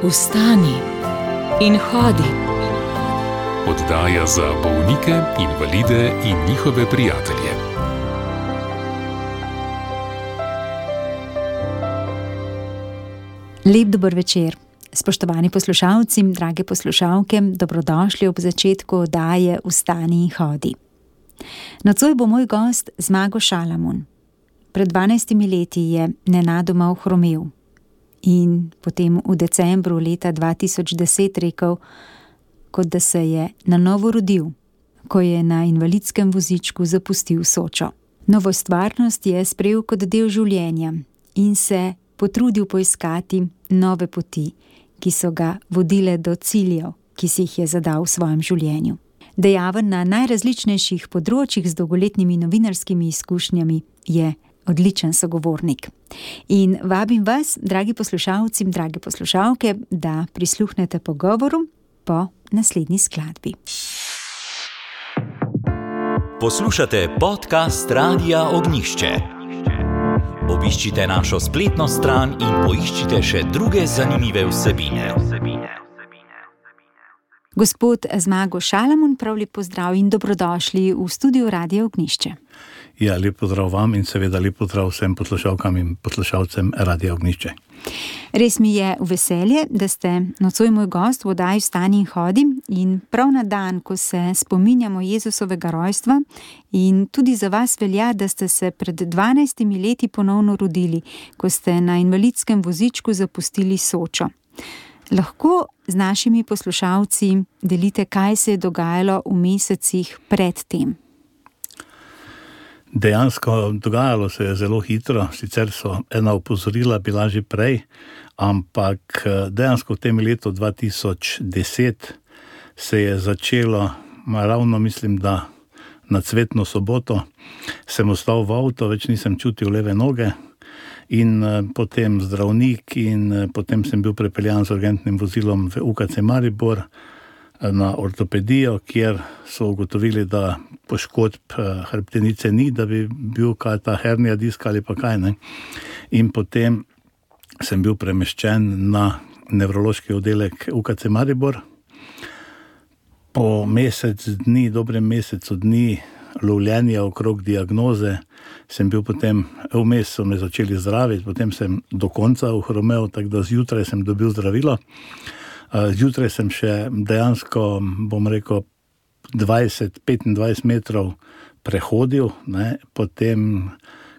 Vstani in hodi. Oddaja za bolnike, invalide in njihove prijatelje. Lep dober večer. Spoštovani poslušalci, drage poslušalke, dobrodošli ob začetku oddaje Vstani in hodi. Nocoj bo moj gost Zmago Šalamun. Pred 12 leti je nenadoma ohromel in potem v decembru leta 2010 rekel, kot da se je na novo rodil, ko je na invalidskem vozičku zapustil Sočo. Novo stvarnost je sprejel kot del življenja in se potrudil poiskati nove poti, ki so ga vodile do ciljev, ki si jih je zadal v svojem življenju. Dejaven na najrazličnejših področjih z dolgoletnimi novinarskimi izkušnjami, je odličen sogovornik. In vabim vas, dragi poslušalci, drage poslušalke, da prisluhnete pogovoru po naslednji skladbi. Poslušate podcast Radia Ognjišče. Obiščite našo spletno stran in poiščite še druge zanimive vsebine. Gospod Zmago Šalamun, prav lep pozdrav in dobrodošli v studiu Radia Ognjišče. Ja, lep pozdrav vam in seveda lep pozdrav vsem poslušalkam in poslušalcem Radia Ognjišče. Res mi je v veselje, da ste nocoj moj gost v oddaji Vstani in hodi in prav na dan, ko se spominjamo Jezusovega rojstva, in tudi za vas velja, da ste se pred 12 leti ponovno rodili, ko ste na invalidskem vozičku zapustili Sočo. Lahko z našimi poslušalci delite, kaj se je dogajalo v mesecih pred tem? Dejansko dogajalo se je zelo hitro, sicer so ena opozorila bila že prej, ampak dejansko v tem letu 2010 se je začelo, ravno mislim, da na Cvetno soboto sem ostal v avto, več nisem čutil leve noge in potem zdravnik in potem sem bil prepeljan z urgentnim vozilom v UKC Maribor na ortopedijo, kjer so ugotovili, da poškodb hrbtenice ni, da bi bil kaj ta hernija diska ali pa kaj, ne. In potem sem bil premeščen na nevrološki oddelek UKC Maribor. Po dobrem mesecu dni lovljenja okrog diagnoze sem bil potem, vmes so me začeli zdraviti, potem sem do konca ohromel, tako da zjutraj sem dobil zdravilo. Zjutraj sem še dejansko, bom rekel, 20-25 metrov prehodil, ne. Potem,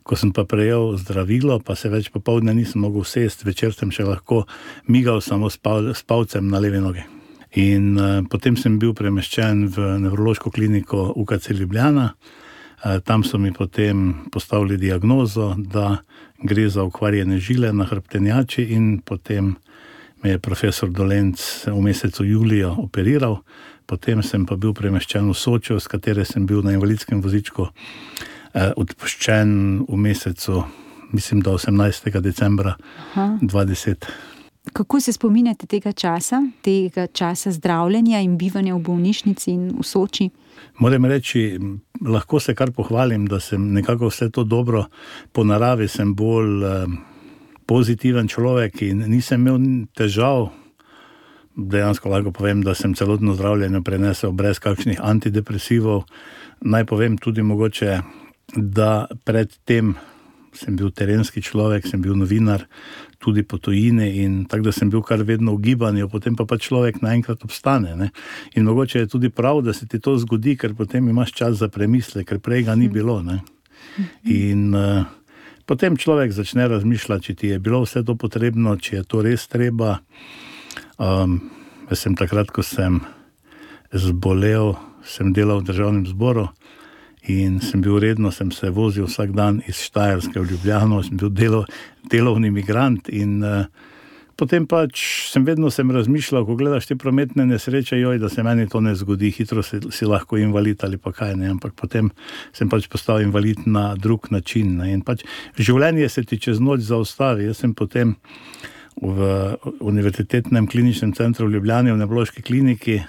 ko sem pa prejel zdravilo, pa se več popoldne nisem mogel sesti, večer sem še lahko migal samo s palcem na levi nogi. In potem sem bil premeščen v nevrološko kliniko UKC Ljubljana. Tam so mi potem postavili diagnozo, da gre za okvarjene žile na hrbtenjači in potem me je profesor Dolenc v mesecu juliju operiral, potem sem pa bil premeščen v Sočo, s katere sem bil na invalidskem vozičku odpuščen v mesecu, mislim, da 18. decembra 2010. Kako se spominjate tega časa zdravljenja in bivanja v bolnišnici in v Soči? Moram reči, lahko se kar pohvalim, da sem nekako vse to dobro, po naravi sem bolj pozitiven človek in nisem imel težav. Dejansko lahko povem, da sem celotno zdravljenje prenesel brez kakšnih antidepresivov. Naj povem tudi mogoče, da pred tem sem bil terenski človek, sem bil novinar tudi po tujini in tako da sem bil kar vedno v gibanju, potem pa človek naenkrat obstane, ne. In mogoče je tudi prav, da se ti to zgodi, ker potem imaš čas za premislek, ker prej ga ni bilo, ne. In potem človek začne razmišljati, če ti je bilo vse to potrebno, če je to res treba. Jaz sem takrat, ko sem zbolel, sem delal v Državnem zboru in sem bil redno, sem se vozil vsak dan iz Štajerske v Ljubljano, sem bil delovni migrant in potem vedno sem razmišljal, ko gledaš te prometne nesreče, da se meni to ne zgodi, hitro si lahko invalid ali pa kaj, ne, ampak potem sem postal invalid na drug način, ne, in življenje se ti čez noč zaustavi. Jaz sem potem v Univerzitetnem kliničnem centru v Ljubljani, v nevrološki kliniki,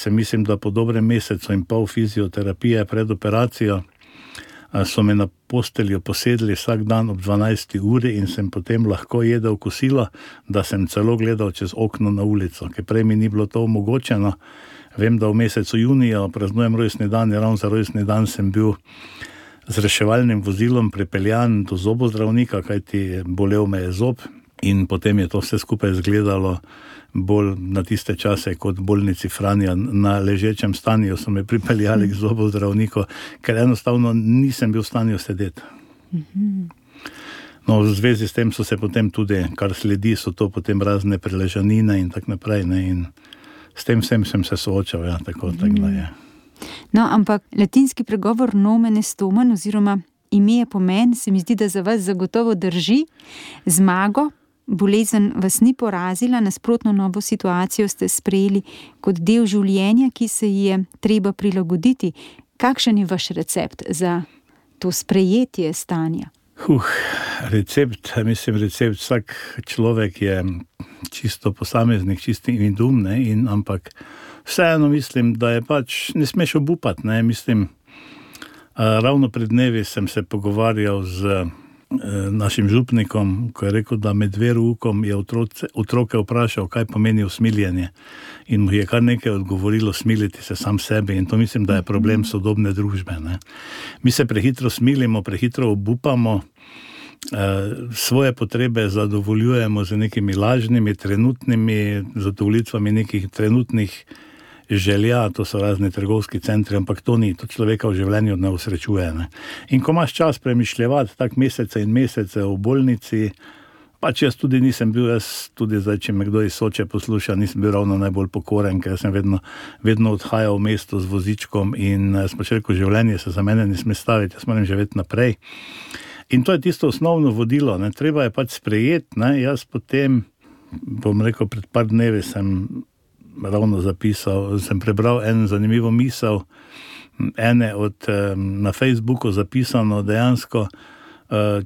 mislim, da po dobrem mesecu in pol fizioterapije pred operacijo, so me na posteljo posedli vsak dan ob 12. uri in sem potem lahko jedel kosilo, da sem celo gledal čez okno na ulico, ker prej mi ni bilo to omogočeno. Vem, da v mesecu junija praznujem rojstni dan in ravno za rojstni dan sem bil z reševalnim vozilom pripeljan do zobozdravnika, kajti bolel me je zob in potem je to vse skupaj izgledalo bolj na tiste čase kot v bolnici Franja. Na ležečem stanju so me pripeljali k zobozdravniku, ker enostavno nisem bil v stanju sedeti. No, v zvezi s tem so se potem tudi, kar sledi, so to potem razne preležanine in tak naprej, ne, in s tem vsem sem se soočal, ja, tako da je. No, ampak latinski pregovor nomen est omen oziroma ime je pomen, se mi zdi, da za vas zagotovo drži. Zmago, bolezen vas ni porazila, nasprotno novo situacijo ste sprejeli kot del življenja, ki se ji je treba prilagoditi. Kakšen je vaš recept za to sprejetje stanja? Recept, vsak človek je čisto posameznik, čisto individuum, ne, ampak vseeno mislim, da je pač, ne smeš obupati, ne, mislim, ravno pred dnevi sem se pogovarjal z našim župnikom, ko je rekel, da med veroukom je otroke vprašal, kaj pomeni usmiljenje, in mu je kar nekaj odgovorilo, smiliti se sam sebi, in to mislim, da je problem sodobne družbe, ne. Mi se prehitro smilimo, prehitro obupamo, svoje potrebe zadovoljujemo z nekimi lažnimi, trenutnimi zadovoljitvami nekih trenutnih želja, to so razni trgovski centri, ampak to ni, to človeka v življenju ne usrečuje, ne. In ko imaš čas premišljevati tak mesece in mesece v bolnici, pač jaz tudi nisem bil, tudi zdaj, če me kdo iz Soče posluša, nisem bil ravno najbolj pokoren, ker sem vedno odhajal v mesto z vozičkom in smo rekel, življenje se za mene ne sme staviti, jaz moram živeti naprej. In to je tisto osnovno vodilo, ne, treba je pač sprejeti, ne, jaz potem, bom rekel, pred par dnevi sem ravno zapisal, sem prebral en zanimivo misel, na Facebooku zapisano dejansko,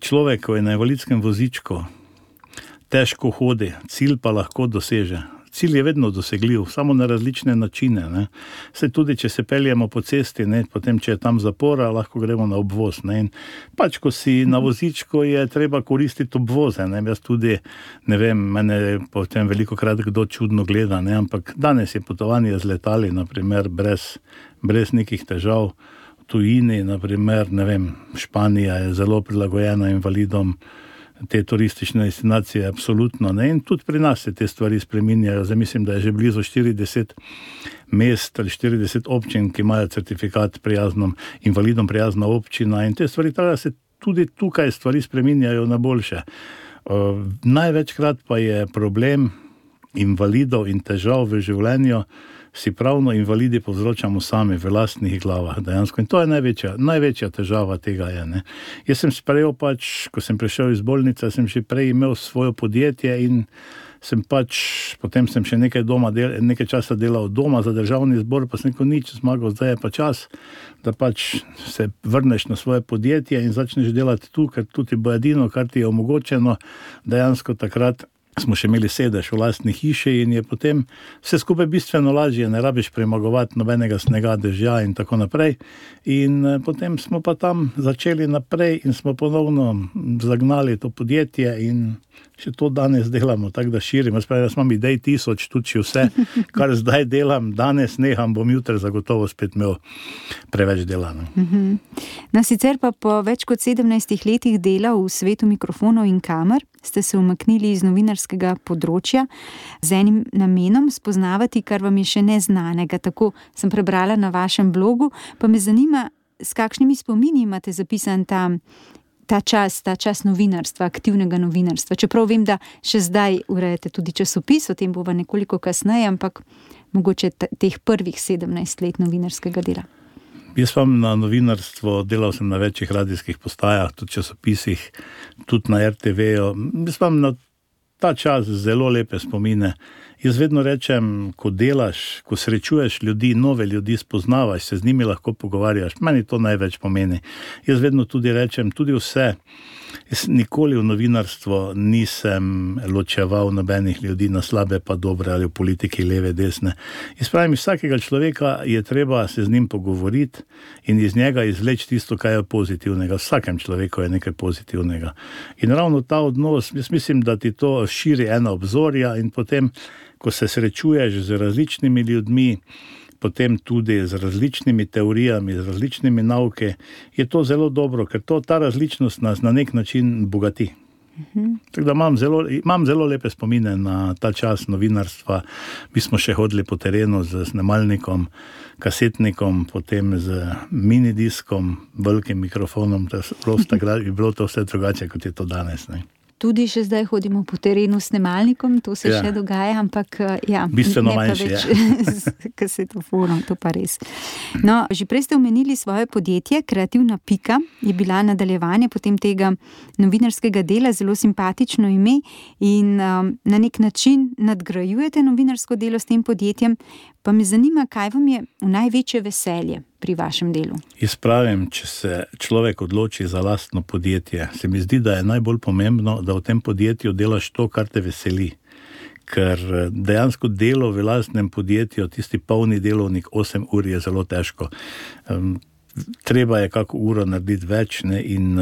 človek, ko je na invalidskem vozičku, težko hodi, cilj pa lahko doseže. Cilj je vedno dosegljiv, samo na različne načine, ne. Saj tudi, če se peljemo po cesti, ne, potem, če je tam zapora, lahko gremo na obvoz, ne, in pač, ko si na vozičku, je treba koristiti obvoze, ne, jaz tudi, ne vem, mene potem velikokrat kdo čudno gleda, ne, ampak danes je potovanje z letali, naprimer, brez nekih težav, v tujini, naprimer, ne vem, Španija je zelo prilagojena invalidom, te turistične destinacije, absolutno, ne, in tudi pri nas se te stvari spreminjajo. Zdaj mislim, da je že blizu 40 mest ali 40 občin, ki imajo certifikat invalidom prijazna občina, in te stvari, tako da se tudi tukaj stvari spreminjajo na boljše. Največkrat pa je problem invalidov in težav v življenju, si pravno invalidi povzročamo sami v lastnih glavah dejansko, in to je največja težava tega je, ne. Jaz sem sprejel pač, ko sem prišel iz bolnice, sem že prej imel svoje podjetje in sem pač, potem sem še nekaj časa delal doma za državni zbor, pa sem rekel, nič, Zmago, zdaj je pa čas, da pač se vrneš na svoje podjetje in začneš delati tu, ker tudi bo edino, kar ti je omogočeno, dejansko takrat smo še imeli sedež v lastni hiši in je potem vse skupaj bistveno lažje, ne rabiš premagovati nobenega snega, dežja in tako naprej. In potem smo pa tam začeli naprej in smo ponovno zagnali to podjetje in še to danes delamo, tako da širimo. Jaz imam idej 1000, tudi če vse, kar zdaj delam, danes neham, bom jutri zagotovo spet imel preveč dela. No, sicer pa po več kot 17 letih dela v svetu mikrofonov in kamer ste se umaknili iz novinarskega področja z enim namenom spoznavati, kar vam je še neznanega. Tako sem prebrala na vašem blogu, pa me zanima, s kakšnimi spomini imate zapisan ta čas novinarstva, aktivnega novinarstva. Čeprav vem, da še zdaj urejate tudi časopis, o tem bova nekoliko kasneje, ampak mogoče teh prvih 17 let novinarskega dela. Jaz vam na novinarstvo delal sem na večjih radijskih postajah, tudi časopisih, tudi na RTV-ju. Jaz vam na ta čas zelo lepe spomine. Jaz vedno rečem, ko delaš, ko srečuješ ljudi, nove ljudi spoznavaš, se z njimi lahko pogovarjaš, meni to največ pomeni. Jaz vedno tudi rečem, tudi vse, jaz nikoli v novinarstvo nisem ločeval nobenih ljudi na slabe pa dobre ali v politiki leve, desne. Jaz pravim, vsakega človeka je treba se z njim pogovoriti in iz njega izvleči tisto, kaj je pozitivnega. Vsakem človeku je nekaj pozitivnega. In ravno ta odnos, jaz mislim, da ti to širi ena obzorja in potem, ko se srečuješ z različnimi ljudmi, potem tudi z različnimi teorijami, z različnimi nauke, je to zelo dobro, ker ta različnost nas na nek način bogati. Tako da imam zelo lepe spomine na ta čas novinarstva. Mi smo še hodili po terenu z snemalnikom, kasetnikom, potem z minidiskom, velikim mikrofonom, je bilo to vse drugače, kot je to danes, ne. Tudi še zdaj hodimo po terenu s snemalnikom, to se še dogaja, ampak bistveno manjše je. S kasetofonom, to pa res. No, že prej ste omenili svoje podjetje, Kreativna pika, je bila nadaljevanje potem tega novinarskega dela, zelo simpatično ime in na nek način nadgrajujete novinarsko delo s tem podjetjem. Pa me zanima, kaj vam je v največje veselje pri vašem delu? Jaz pravim, če se človek odloči za lastno podjetje, se mi zdi, da je najbolj pomembno, da v tem podjetju delaš to, kar te veseli. Ker dejansko delo v lastnem podjetju, tisti polni delovnik 8 ur je zelo težko. Treba je kako uro narediti več, ne, in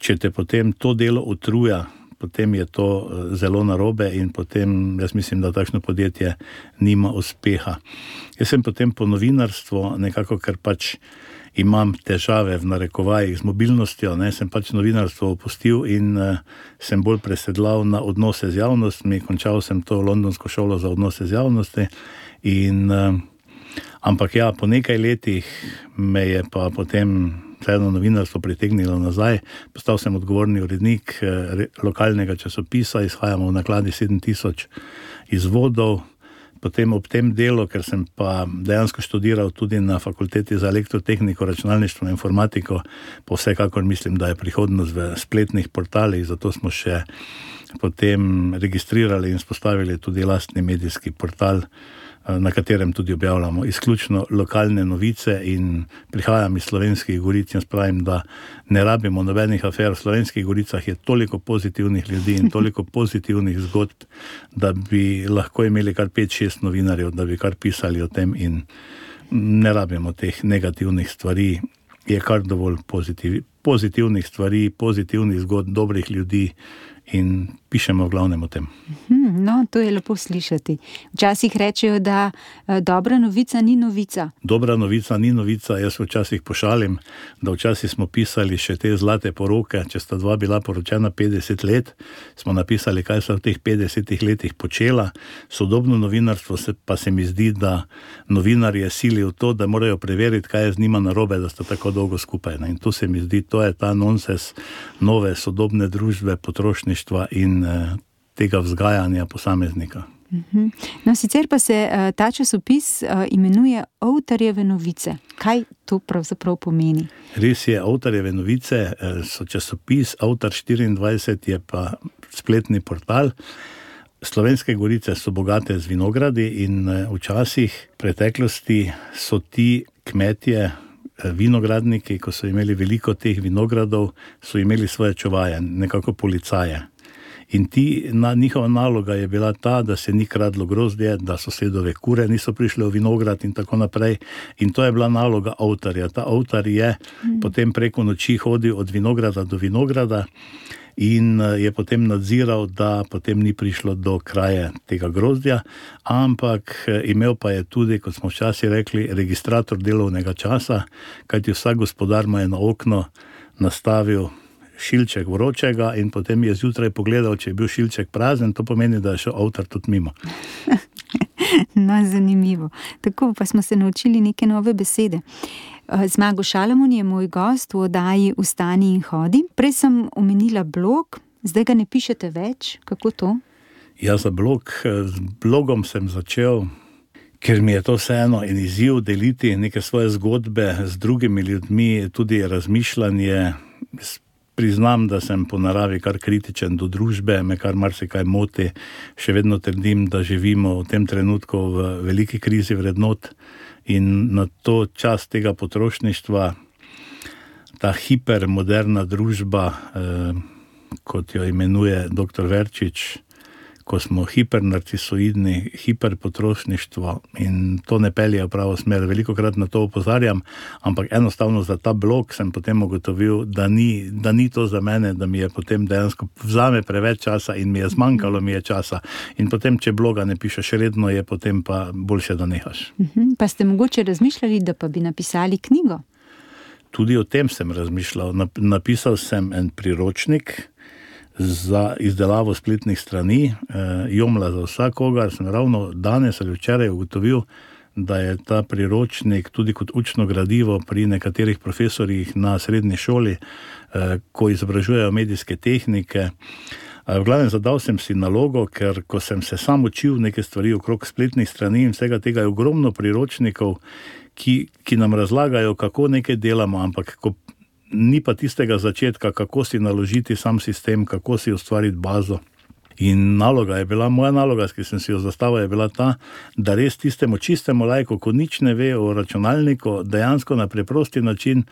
če te potem to delo utruja, potem je to zelo narobe in potem jaz mislim, da takšno podjetje nima uspeha. Jaz sem potem po novinarstvu nekako, ker pač imam težave v narekovajih z mobilnostjo, ne, sem pač novinarstvo opustil in sem bolj presedlal na odnose z javnostmi, končal sem to londonsko šolo za odnose z javnosti in ampak ja, po nekaj letih me je pa potem vseeno novinarstvo pritegnilo nazaj. Postal sem odgovorni urednik lokalnega časopisa, izhajamo v nakladi 7000 izvodov. Potem ob tem delu, ker sem pa dejansko študiral tudi na fakulteti za elektrotehniko, računalništvo in informatiko, pa vsekakor mislim, da je prihodnost v spletnih portalih, zato smo še potem registrirali in spostavili tudi lastni medijski portal, na katerem tudi objavljamo izključno lokalne novice in prihajam iz Slovenskih Goric in spravim, da ne rabimo nobenih afer. V Slovenskih Goricah je toliko pozitivnih ljudi in toliko pozitivnih zgodb, da bi lahko imeli kar 5-6 novinarjev, da bi kar pisali o tem in ne rabimo teh negativnih stvari. Je kar dovolj pozitivnih stvari, pozitivnih zgodb, dobrih ljudi in pišemo v glavnem o tem. No, to je lepo slišati. Včasih rečejo, da dobra novica ni novica. Dobra novica ni novica. Jaz včasih pošalim, da včasih smo pisali še te zlate poroke, če sta dva bila poročena 50 let, smo napisali, kaj so v teh 50 letih počela. Sodobno novinarstvo pa se mi zdi, da novinarje sili v to, da morajo preveriti, kaj je z njima narobe, da sta tako dolgo skupaj. In to se mi zdi, to je ta nonsens nove sodobne družbe, potrošništva in tega vzgajanja posameznika. No, sicer pa se ta časopis imenuje Avtarjeve novice. Kaj to pravzaprav pomeni? Res je, Avtarjeve novice so časopis, Avtar 24 je pa spletni portal. Slovenske Gorice so bogate z vinogradi in včasih v preteklosti so ti kmetje, vinogradniki, ko so imeli veliko teh vinogradov, so imeli svoje čuvaje, nekako policaje. In njihova naloga je bila ta, da se ni kradlo grozdje, da sosedove kure niso prišle v vinograd in tako naprej. In to je bila naloga avtarja. Ta avtar je potem preko noči hodil od vinograda do vinograda in je potem nadziral, da potem ni prišlo do kraje tega grozdja, ampak imel pa je tudi, kot smo včasih rekli, registrator delovnega časa, kajti vsak gospodar mu je na okno nastavil šilček vročega in potem je zjutraj pogledal, če je bil šilček prazen, to pomeni, da je šel avtar tudi mimo. No, zanimivo. Tako pa smo se naučili neke nove besede. Zmago Šalamun je moj gost v oddaji Vstani in hodi. Prej sem omenila blog, zdaj ga ne pišete več. Kako to? Ja, z blogom sem začel, ker mi je to vseeno en izziv deliti neke svoje zgodbe z drugimi ljudmi, tudi razmišljanje. priznam, da sem po naravi kar kritičen do družbe, me kar marsikaj moti. Še vedno trdim, da živimo v tem trenutku v veliki krizi vrednot in na to čas tega potrošništva, ta hipermoderna družba, kot jo imenuje dr. Verčič, ko smo hipernarcisoidni, hiperpotrošništvo in to ne pelje v pravo smer. Velikokrat na to opozarjam, ampak enostavno za ta blog sem potem ugotovil, da ni to za mene, da mi je potem dejansko vzame preveč časa in mi je zmanjkalo časa. In potem, če bloga ne pišeš redno, je potem pa boljše, da nehaš. Pa ste mogoče razmišljali, da pa bi napisali knjigo? Tudi o tem sem razmišljal. Napisal sem en priročnik za izdelavo spletnih strani, Jomla za vsakogar. Sem ravno danes ali včeraj ugotovil, da je ta priročnik tudi kot učno gradivo pri nekaterih profesorjih na srednji šoli, ko izobražujejo medijske tehnike. V glavnem zadal sem si nalogo, ker ko sem se sam učil neke stvari okrog spletnih strani in vsega tega je ogromno priročnikov, ki nam razlagajo, kako nekaj delamo, ampak ni pa tistega začetka, kako si naložiti sam sistem, kako si ustvariti bazo. In moja naloga, ki sem si jo zastavil, je bila ta, da res tistemu čistemu laiku, ko nič ne ve o računalniku, dejansko na preprosti način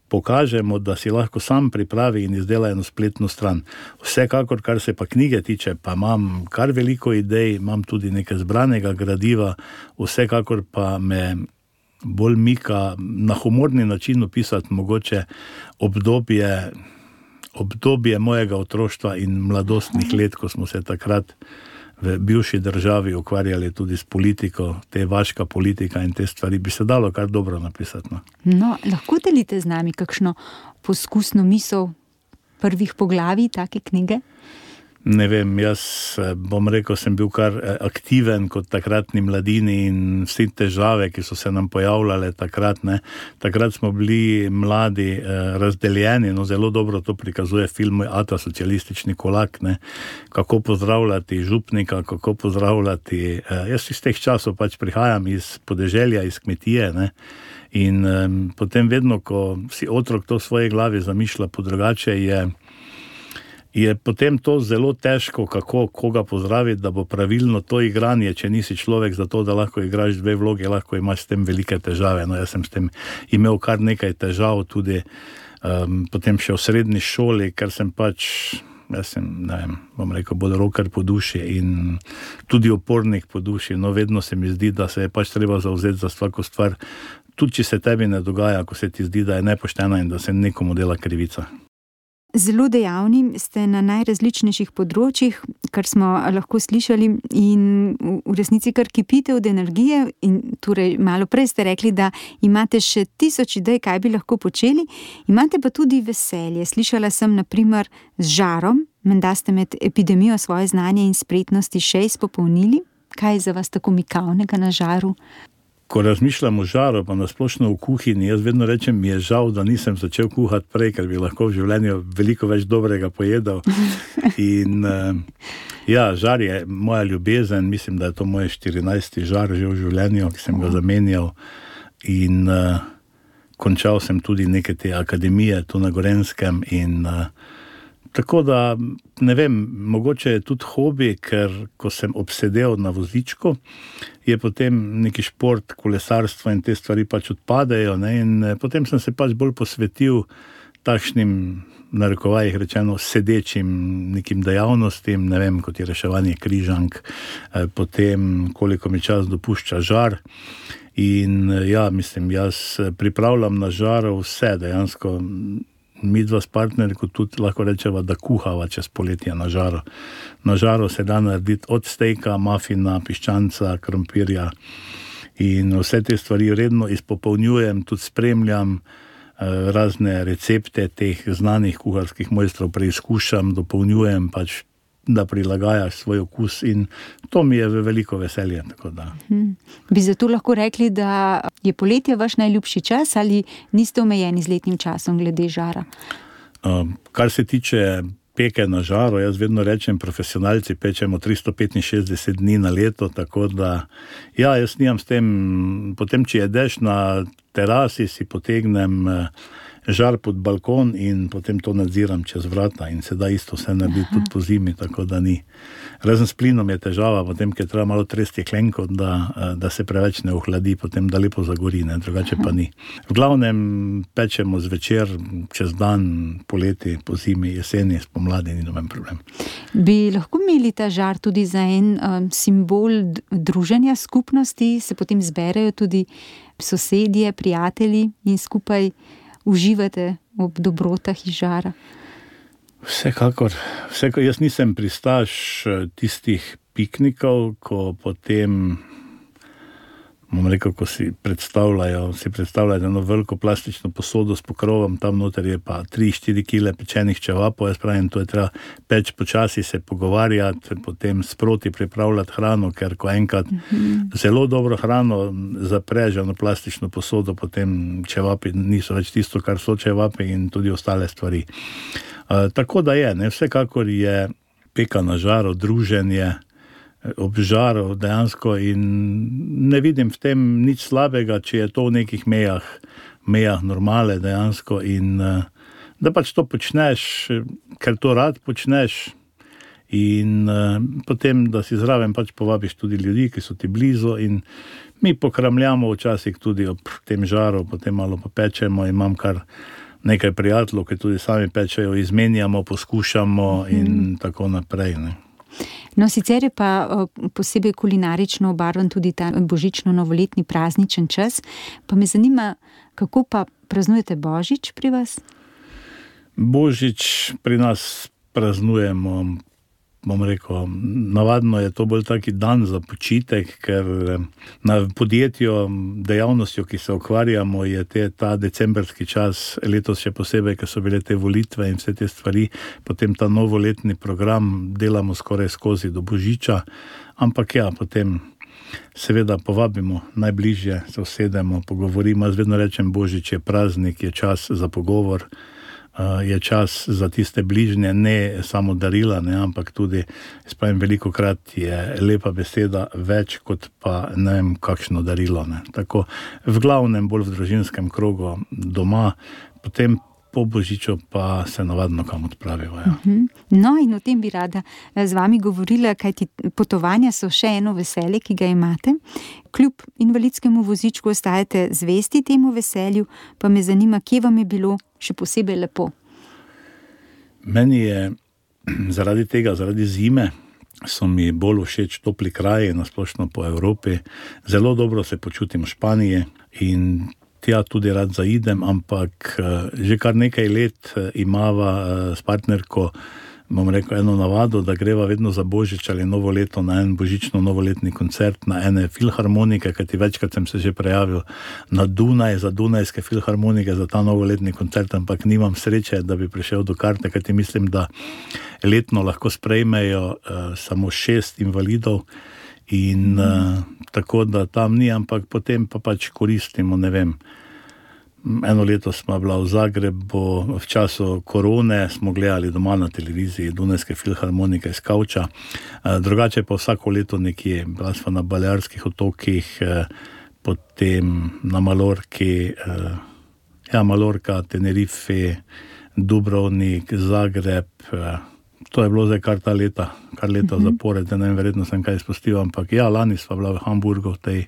pokažemo, da si lahko sam pripravi in izdela eno spletno stran. Vsekakor, kar se pa knjige tiče, pa imam kar veliko idej, imam tudi nekaj zbranega gradiva, vsekakor pa me bolj mika na humorni način opisati mogoče obdobje mojega otroštva in mladostnih let, ko smo se takrat v bivši državi ukvarjali tudi s politiko, te vaška politika in te stvari, bi se dalo kar dobro napisati. No, lahko delite z nami kakšno poskusno misel prvih poglavij take knjige? Ne vem, jaz bom rekel, sem bil kar aktiven kot takratni mladini in vsi težave, ki so se nam pojavljale takrat, ne. Takrat smo bili mladi razdeljeni, zelo dobro to prikazuje film Ata socialistični kulak, ne. Kako pozdravljati župnika, kako pozdravljati, jaz iz teh časov pač prihajam iz podeželja, iz kmetije, ne. In potem vedno, ko si otrok to v svoji glavi zamišlja po drugače, je potem to zelo težko, kako koga pozdraviti, da bo pravilno to igranje, če nisi človek za to, da lahko igraš dve vloge, lahko imaš s tem velike težave. Jaz sem s tem imel kar nekaj težav tudi potem še v srednji šoli, ker sem pač, jaz sem, ne vem, bom rekel, bolj roker po duši in tudi opornik po duši. Vedno se mi zdi, da se je pač treba zavzeti za vsako stvar, tudi če se tebi ne dogaja, ko se ti zdi, da je nepoštena in da se nekomu dela krivica. Zelo dejavni ste na najrazličnejših področjih, kar smo lahko slišali, in v resnici kar kipite od energije. In torej malo prej ste rekli, da imate še 1000 idej, kaj bi lahko počeli, imate pa tudi veselje. Slišala sem na primer z žarom, menda ste med epidemijo svoje znanje in spretnosti še izpopolnili. Kaj je za vas tako mikavnega na žaru? Ko razmišljam o žaru, pa nasplošno v kuhinji, jaz vedno rečem, mi je žal, da nisem začel kuhati prej, ker bi lahko v življenju veliko več dobrega pojedal. In žar je moja ljubezen, mislim, da je to moj 14. žar že v življenju, ki sem ga zamenjal. In končal sem tudi neke te akademije tu na Gorenskem in tako da, ne vem, mogoče je tudi hobi, ker ko sem obsedel na vozičku, je potem neki šport, kolesarstvo in te stvari pač odpadejo, ne, in potem sem se pač bolj posvetil takšnim, narekovajih rečeno, sedečim nekim dejavnostim, ne vem, kot je reševanje križank, potem koliko mi čas dopušča žar. In mislim, jaz pripravljam na žaru vse dejansko. Mi dva s partnerjem tudi lahko rečeva, da kuhava čez poletje na žaru. Na žaru se da narediti od stejka, mafina, piščanca, krompirja in vse te stvari redno izpopolnjujem, tudi spremljam razne recepte teh znanih kuharskih mojstrov, preizkušam, dopolnjujem pač, da prilagajaš svoj okus in to mi je veliko veselje. Tako da. Bi zato lahko rekli, da je poletje vaš najljubši čas ali niste omejeni z letnim časom glede žara? Kar se tiče peke na žaru, jaz vedno rečem, profesionalci pečemo 365 dni na leto, tako da jaz nimam s tem, potem če jedeš na terasi, si potegnem žar pod balkon in potem to nadziram čez vrata in se da isto vse narediti tudi po zimi, tako da ni. Razen s plinom je težava, potem, ker treba malo tresti klenko, da se preveč ne ohladi, potem da lepo zagori, ne, drugače pa ni. V glavnem pečemo zvečer, čez dan, poleti, po zimi, jeseni, spomladi, ni noben problem. Bi lahko imeli ta žar tudi za en simbol druženja skupnosti, se potem zberejo tudi sosedje, prijatelji in skupaj uživate ob dobrotah iz žara? Vsekakor, jaz nisem pristaš tistih piknikov, ko potem, ko si predstavljajo eno veliko plastično posodo s pokrovom, tam noter je pa 3-4 kile pečenih čevapov, jaz pravim, to je treba peč počasi, se pogovarjati, potem sproti pripravljati hrano, ker ko enkrat zelo dobro hrano zapreš eno plastično posodo, potem čevapi niso več tisto, kar so čevapi in tudi ostale stvari. Tako da je, ne, vsekakor je peka na žaru, druženje ob žaru dejansko in ne vidim v tem nič slabega, če je to v nekih mejah normale dejansko in da pač to počneš, ker to rad počneš in potem, da si zraven pač povabiš tudi ljudi, ki so ti blizu in mi pokramljamo včasih tudi ob tem žaru, potem malo popečemo in imam kar nekaj prijateljev, ki tudi sami pečejo, izmenjamo, poskušamo in tako naprej, ne. No, sicer je pa posebej kulinarično obarvan tudi ta božično-novoletni prazničen čas. Pa me zanima, kako pa praznujete Božič pri vas? Božič pri nas praznujemo, bom rekel, navadno je to bolj taki dan za počitek, ker na podjetju, dejavnostjo, ki se ukvarjamo, je ta decembrski čas, letos še posebej, ker so bile te volitve in vse te stvari, potem ta novoletni program delamo skoraj skozi do Božiča, ampak ja, potem seveda povabimo najbližje, se usedemo, pogovorimo, jaz vedno rečem, Božič je praznik, je čas za pogovor, je čas za tiste bližnje, ne samo darila, ne, ampak tudi, spravim, velikokrat je lepa beseda več kot pa ne vem kakšno darilo, ne. Tako v glavnem bolj v družinskem krogu doma, potem po Božiču pa se navadno kam odpravijo. Ja. No, in o tem bi rada z vami govorila, kajti potovanja so še eno veselje, ki ga imate. Kljub invalidskemu vozičku ostajate zvesti temu veselju, pa me zanima, kje vam je bilo še posebej lepo? Meni je zaradi zime, so mi bolj všeč topli kraji, nasplošno po Evropi. Zelo dobro se počutim v Španiji in tja tudi rad zaidem, ampak že kar nekaj let imava s partnerko, bom rekel, eno navado, da greva vedno za Božič ali novo leto na en božično-novoletni koncert na ene filharmonike, kajti večkrat sem se že prejavil na Dunaj, za Dunajske filharmonike, za ta novoletni koncert, ampak nimam sreče, da bi prišel do karte, kajti mislim, da letno lahko sprejmejo samo 6 invalidov in tako da tam ni, ampak potem pa pač koristimo, ne vem. Eno leto smo bila v Zagrebu, v času korone smo gledali doma na televiziji Dunajske filharmonike iz kavča, drugače pa vsako leto nekje, bila smo na Balearskih otokih, potem na Malorki, Malorka, Tenerife, Dubrovnik, Zagreb, to je bilo zdaj kar leta zapored, ne vem, verjetno sem kaj izpustil, ampak ja, lani sva bila v Hamburgu, v tej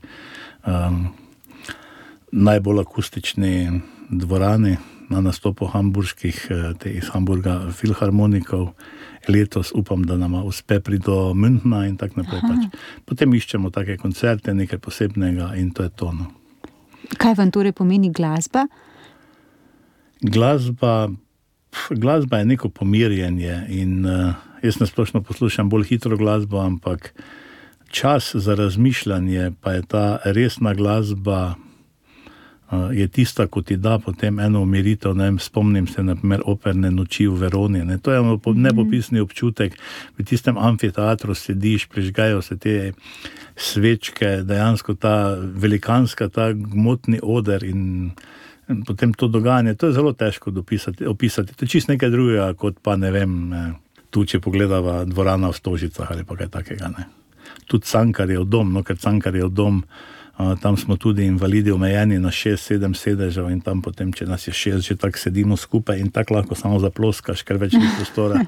najbolj akustični dvorani na nastopu hamburških, iz Hamburga filharmonikov. Letos upam, da nama uspe priti do Münchna in tak naprej. Pač. Potem iščemo take koncerte, nekaj posebnega in to je to. No. Kaj vam torej pomeni glasba? Glasba je neko pomirjenje in jaz nasplošno poslušam bolj hitro glasbo, ampak čas za razmišljanje pa je ta resna glasba, je tista, ko ti da potem eno umiritev, ne vem, spomnim se na primer operne noči v Veroni, ne, to je nepopisni občutek, v tistem amfiteatru sediš, prižgajo se te svečke, dejansko ta velikanska, ta gmotni oder in potem to dogajanje, to je zelo težko opisati, to je čisto nekaj drugega, kot pa ne vem, tu če pogledava dvorana v Stožicah ali pa kaj takega, ne. Tudi Cankarjev dom, no, ker Cankarjev dom Tam smo tudi invalidi omejeni na 6-7 sedežev in tam potem, če nas je 6, že tako sedimo skupaj in tako lahko samo zaploskaš, ker več ni prostora.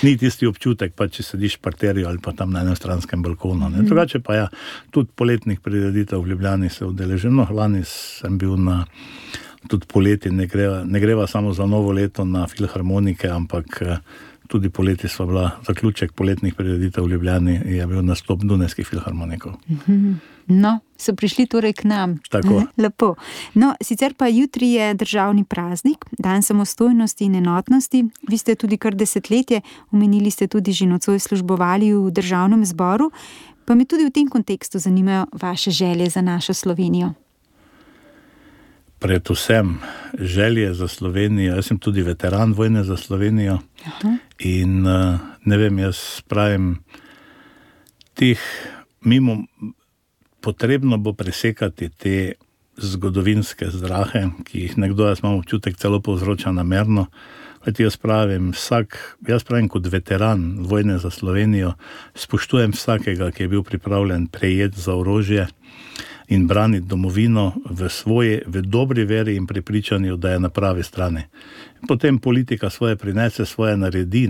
Ni tisti občutek, pa če sediš v parterju ali pa tam na enem stranskem balkonu. Drugače pa tudi poletnih prireditev v Ljubljani se udeležim. Lani sem bil tudi poleti, ne greva samo za novo leto na filharmonike, ampak tudi poleti sva bila, zaključek poletnih prireditev v Ljubljani je bil nastop Dunajskih filharmonikov. No, so prišli torej k nam. Tako. Lepo. No, sicer pa jutri je državni praznik, dan samostojnosti in enotnosti. Vi ste tudi kar desetletje, omenili ste tudi že nocoj službovali v državnem zboru, pa me tudi v tem kontekstu zanimajo vaše želje za našo Slovenijo. Predvsem želje za Slovenijo. Jaz sem tudi veteran vojne za Slovenijo. Aha. In ne vem, jaz pravim, potrebno bo presekati te zgodovinske zdrahe, ki jih nekdo, jaz imam občutek, celo povzroča namerno. Jaz pravim, kot veteran vojne za Slovenijo, spoštujem vsakega, ki je bil pripravljen prejeti za orožje in braniti domovino v dobri veri in prepričanju, da je na pravi strani. Potem politika svoje prinese, svoje naredi,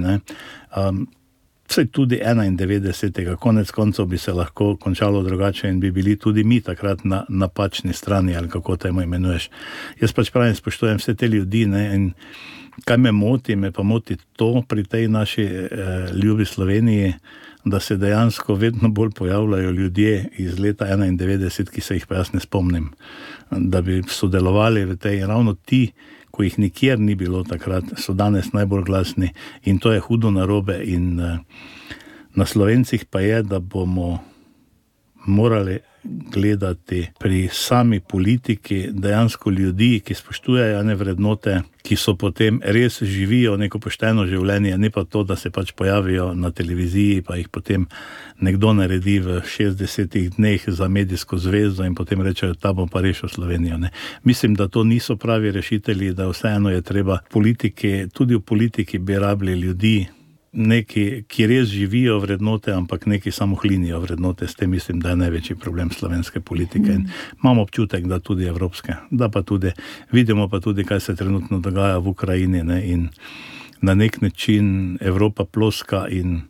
vse tudi 91. Konec koncev bi se lahko končalo drugače in bi bili tudi mi takrat na napačni strani, ali kako temu imenuješ. Jaz pravim, spoštujem vse te ljudi, in kaj me pa moti to pri tej naši ljubi Sloveniji, da se dejansko vedno bolj pojavljajo ljudje iz leta 91, ki se jih pa jaz ne spomnim, da bi sodelovali v tej, ravno ti, ko jih nikjer ni bilo takrat, so danes najbolj glasni in to je hudo narobe in na Slovencih pa je, da bomo morali gledati pri sami politiki dejansko ljudi, ki spoštujejo ene vrednote, ki so potem res živijo neko pošteno življenje, ne pa to, da se pojavijo na televiziji, pa jih potem nekdo naredi v 60 dneh za medijsko zvezdo in potem rečejo, ta bom pa rešil Slovenijo. Mislim, da to niso pravi rešitelji, da vseeno je treba tudi v politiki bi rabili ljudi, neki, ki res živijo vrednote, ampak neki samo hlinijo vrednote. S tem mislim, da je največji problem slovenske politike. In imam občutek, da tudi evropske. Da pa tudi, vidimo pa tudi, kaj se trenutno dogaja v Ukrajini, in na nek način Evropa ploska in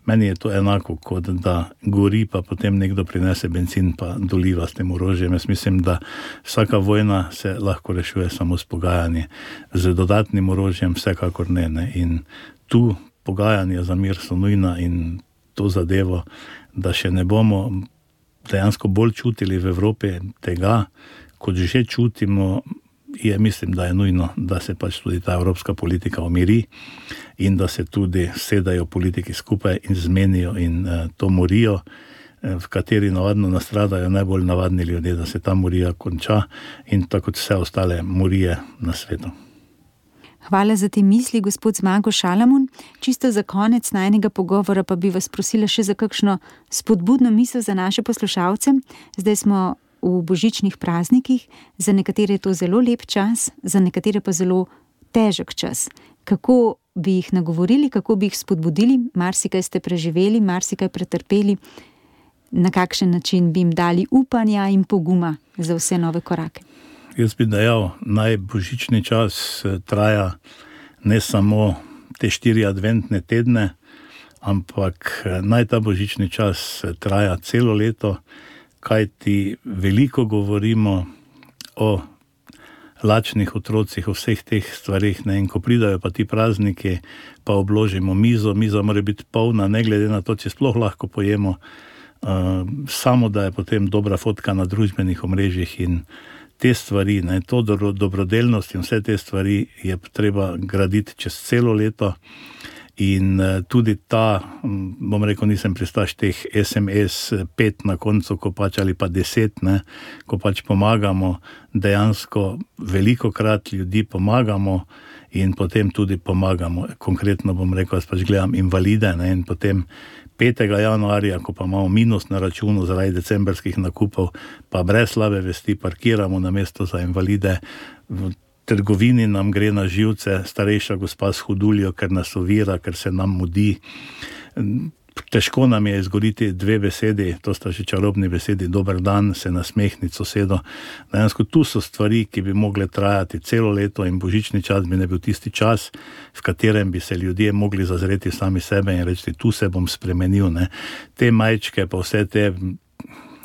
meni je to enako, kot da gori, pa potem nekdo prinese bencin pa doliva s tem orožjem. Jaz mislim, da vsaka vojna se lahko rešuje samo s pogajanji. Z dodatnim orožjem vsekakor ne. In tu pogajanja za mir so nujna in to zadevo, da še ne bomo dejansko bolj čutili v Evropi tega, kot že čutimo, mislim, da je nujno, da se tudi ta evropska politika umiri in da se tudi sedajo politiki skupaj in zmenijo in to morijo, v kateri navadno nastradajo najbolj navadni ljudje, da se ta morija konča in tako kot vse ostale morije na svetu. Hvala za te misli, gospod Zmago Šalamun. Čisto za konec najnega pogovora pa bi vas prosila še za kakšno spodbudno misel za naše poslušalce. Zdaj smo v božičnih praznikih, za nekatere je to zelo lep čas, za nekatere pa zelo težek čas. Kako bi jih nagovorili, kako bi jih spodbudili? Marsikaj ste preživeli, marsikaj pretrpeli. Na kakšen način bi jim dali upanja in poguma za vse nove korake? Jaz bi dejal, naj božični čas traja ne samo te 4 adventne tedne, ampak naj ta božični čas traja celo leto, kajti veliko govorimo o lačnih otrocih, o vseh teh stvarih, in ko pridajo pa ti prazniki, pa obložimo miza mora biti polna, ne glede na to, če sploh lahko pojemo, samo da je potem dobra fotka na družbenih omrežjih in te stvari, to dobrodelnost in vse te stvari je treba graditi čez celo leto in tudi bom rekel, nisem pristaš teh SMS 5 na koncu, ali pa 10, ko pomagamo, dejansko velikokrat ljudi pomagamo in potem tudi pomagamo. Konkretno bom rekel, jaz gledam invalide in potem 5. januarja, ko pa imamo minus na računu zaradi decembrskih nakupov, pa brez slabe vesti parkiramo na mesto za invalide. V trgovini nam gre na živce starejša gospa s huduljo, ker nas ovira, ker se nam mudi. Težko nam je izgovoriti dve besedi, to sta že čarobni besedi, dober dan, se nasmehniti sosedo. Dejansko tu so stvari, ki bi mogle trajati celo leto in božični čas bi ne bil tisti čas, v katerem bi se ljudje mogli zazreti sami sebe in reči, tu se bom spremenil. Ne. Te majčke, pa vse te,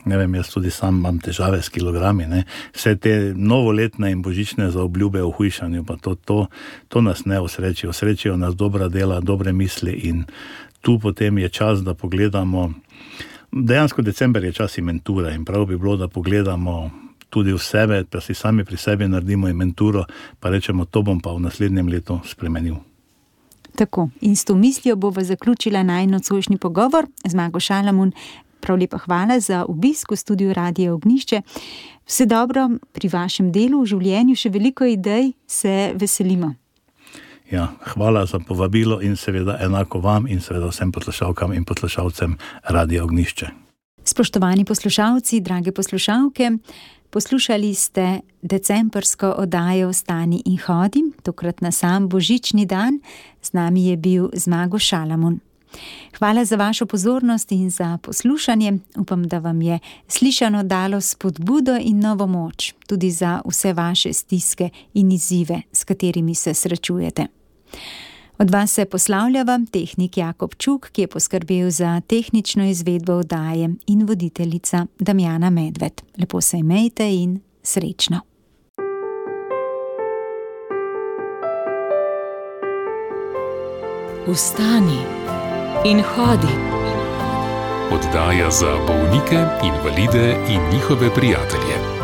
ne vem, jaz tudi sam imam težave s kilogrami, ne. Vse te novoletne in božične zaobljube o hujšanju, pa to nas ne osrečijo. Osrečijo nas dobra dela, dobre misli in tu potem je čas, da pogledamo, dejansko december je čas inventure in prav bi bilo, da pogledamo tudi v sebe, da si sami pri sebi naredimo inventuro, pa rečemo, to bom pa v naslednjem letu spremenil. Tako, in s to mislijo bova zaključila najin nocojšnji pogovor. Zmago Šalamun, prav lepa hvala za obisk v studiu Radia Ognjišče. Vse dobro pri vašem delu, v življenju še veliko idej, se veselimo. Ja, hvala za povabilo in seveda enako vam in seveda vsem poslušalkam in poslušalcem Radia Ognjišče. Spoštovani poslušalci, drage poslušalke, poslušali ste decembrsko oddajo Vstani in hodi, tokrat na sam božični dan. Z nami je bil Zmago Šalamun. Hvala za vašo pozornost in za poslušanje. Upam, da vam je slišano dalo spodbudo in novo moč, tudi za vse vaše stiske in izzive, s katerimi se srečujete. Od vas se poslavljava tehnik Jakob Čuk, ki je poskrbel za tehnično izvedbo oddaje, in voditeljica Damjana Medved. Lepo se imejte in srečno. Vstani in hodi. Oddaja za bolnike, invalide in njihove prijatelje.